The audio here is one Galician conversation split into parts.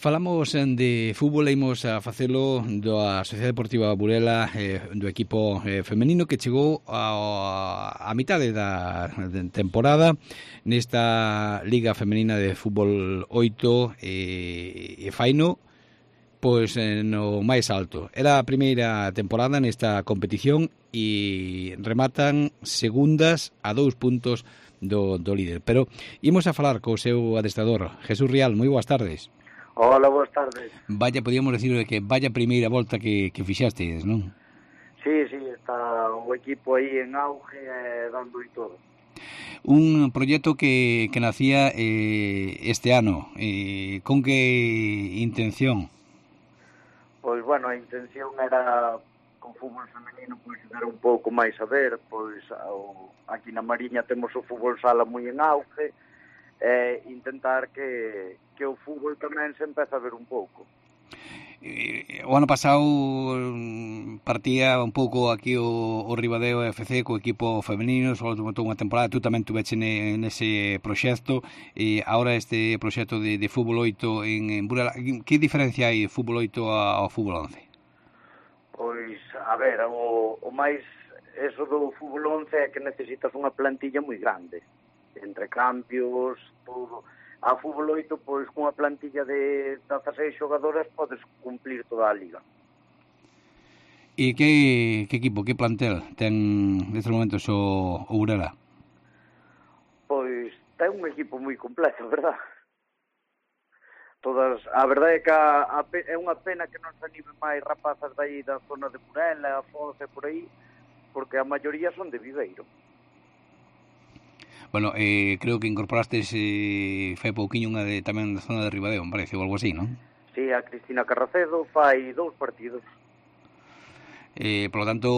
Falamos de fútbol e imos a facelo da Sociedade Deportiva Burela, do equipo femenino que chegou a mitade da temporada nesta Liga Femenina de Fútbol 8 e faino pois no máis alto. Era a primeira temporada nesta competición e rematan segundas a 2 puntos do líder. Pero imos a falar co seu adestrador, Jesús Rial. Moi boas tardes. Hola, boas tardes. Vaya, podíamos decir que vaya primeira volta que fixastes, non? Sí, está o equipo aí en auge dando e todo. Un proxecto que nacía este ano. Con que intención? Pois, bueno, a intención era con fútbol femenino pois dar un pouco máis a ver, pois aquí na Mariña temos o fútbol sala moi en auge, intentar que o fútbol tamén se empece a ver un pouco. O ano pasado partía un pouco aquí o Ribadeo FC co equipo femenino, só tomou unha temporada, tú tamén tuveche nese proxecto, e agora este proxecto de fútbol 8 en Burela. Que diferencia hai fútbol 8 ao fútbol 11? Pois, a ver, o máis eso do fútbol 11 é que necesitas unha plantilla moi grande, entre cambios, todo. A fútbol 8, pois, cunha plantilla de 16 xogadoras podes cumplir toda a liga. E que equipo, que plantel ten nestes momentos o Burela? Pois ten un equipo moi completo, verdad? A verdade é que é unha pena que non se animen máis rapazas dai da zona de Burela, Foz e por aí, porque a maioría son de Viveiro. Bueno, creo que incorporastes fai pouquiño unha tamén da zona de Ribadeo, me parece, ou algo así, non? Sí, a Cristina Carracedo fai 2 partidos. Por lo tanto,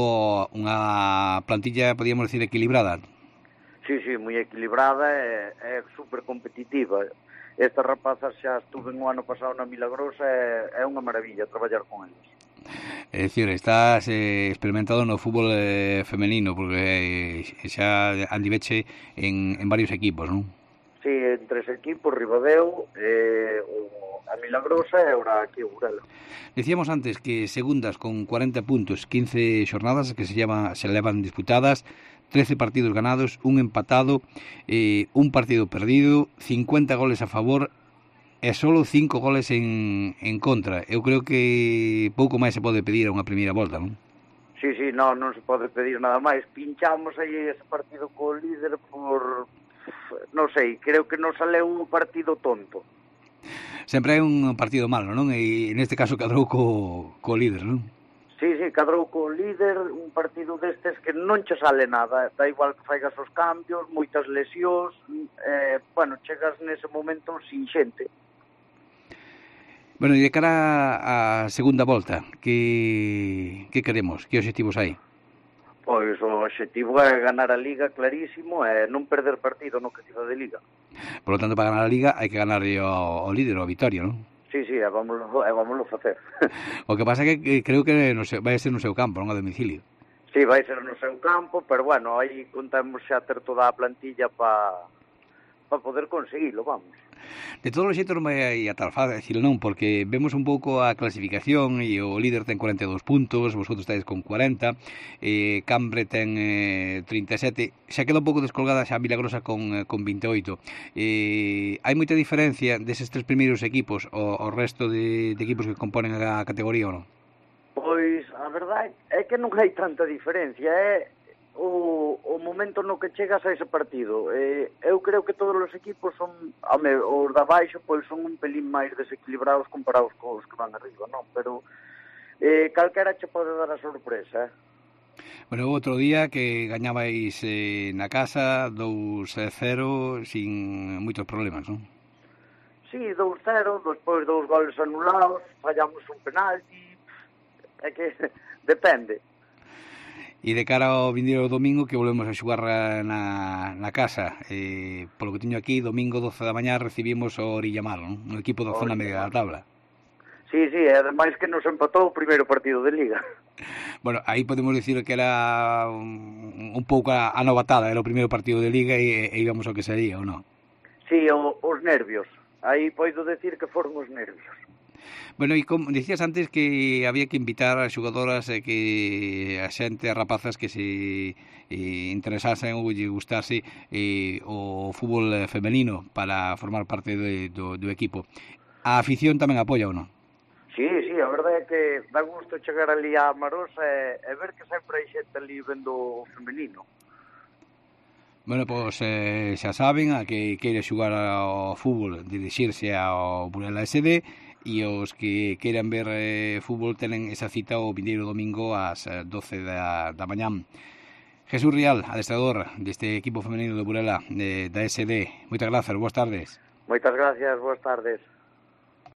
unha plantilla, podíamos decir, equilibrada. Sí, moi equilibrada e super competitiva. Estas rapazas xa estuve no ano pasado na Milagrosa e é unha maravilla traballar con eles. É dicir, estás experimentado no fútbol femenino, porque xa andiveche en varios equipos, non? Sí, en 3 equipos, Ribadeo, a Milagrosa e ahora aquí o Burela. Decíamos antes que segundas con 40 puntos, 15 xornadas que se levan disputadas, 13 partidos ganados, un empatado, un partido perdido, 50 goles a favor e solo 5 goles en contra. Eu creo que pouco máis se pode pedir a unha primeira volta, non? Sí, non se pode pedir nada máis. Pinchamos aí ese partido co líder por... non sei, creo que non saleu un partido tonto. Sempre hai un partido malo, non? E neste caso cadrou co líder, non? Sí, cadrou co líder, un partido destes que non che sale nada, da igual que faigas os cambios, moitas lesións, bueno, chegas nese momento sin xente. Bueno, e de cara á segunda volta, que queremos? Que obxectivos hai? Pois o obxectivo é ganar a Liga clarísimo e non perder partido no que queda de Liga. Por lo tanto, para ganar a Liga hai que ganar ao líder, ao Vitoria, non? Sí, vámoslo facer. O que pasa é que creo que vai ser no seu campo, non a domicilio. Sí, vai ser no seu campo, pero bueno, aí contamos xa ter toda a plantilla para poder conseguilo, vamos. De todos os xeitos non vai a tal fácil, non? Porque vemos un pouco a clasificación e o líder ten 42 puntos, vosotros estáis con 40, Cambre ten 37, xa queda un pouco descolgada xa Milagrosa con 28. Hai moita diferencia deses 3 primeiros equipos ao resto de equipos que componen a categoría ou non? Pois, a verdade é que non hai tanta diferencia, o momento no que chegas a ese partido. Eu creo que todos os equipos son, os da baixo, pois son un pelín máis desequilibrados comparados cos que van arriba, non? Pero calquera che pode dar a sorpresa, Bueno, outro día que gañabais na casa 2-0 sin moitos problemas, non? Sí, 2-0, despois 2 goles anulados, fallamos un penalti, é que depende. E de cara ao vindeiro domingo que volvemos a xogar na casa, polo que teño aquí, domingo 12 da mañá recibimos o Orillamar, non? Un equipo da zona media da tabla. Sí, ademais que nos empatou o primeiro partido de Liga. Bueno, aí podemos dicir que era un pouco a novatada, era o primeiro partido de Liga e íbamos ao que sería, ou non? Sí, os nervios. Aí poido decir que foron os nervios. Bueno, e como dicías antes que había que invitar a xogadoras que a xente, a rapazas que se interesasen ou lle gustase o fútbol femenino para formar parte do equipo. A afición tamén apoia ou non? Sí, a verdade é que dá gusto chegar ali a Marosa e ver que sempre hai xente ali vendo o femenino. Bueno, pois xa saben, a que queire xogar ao fútbol, dirixirse ao Burela SD, e os que queiran ver fútbol tenen esa cita o vindeiro domingo ás 12 da mañán. Jesús Rial, adestrador deste equipo femenino do Burela da SD. Moitas grazas, boas tardes. Moitas gracias, boas tardes.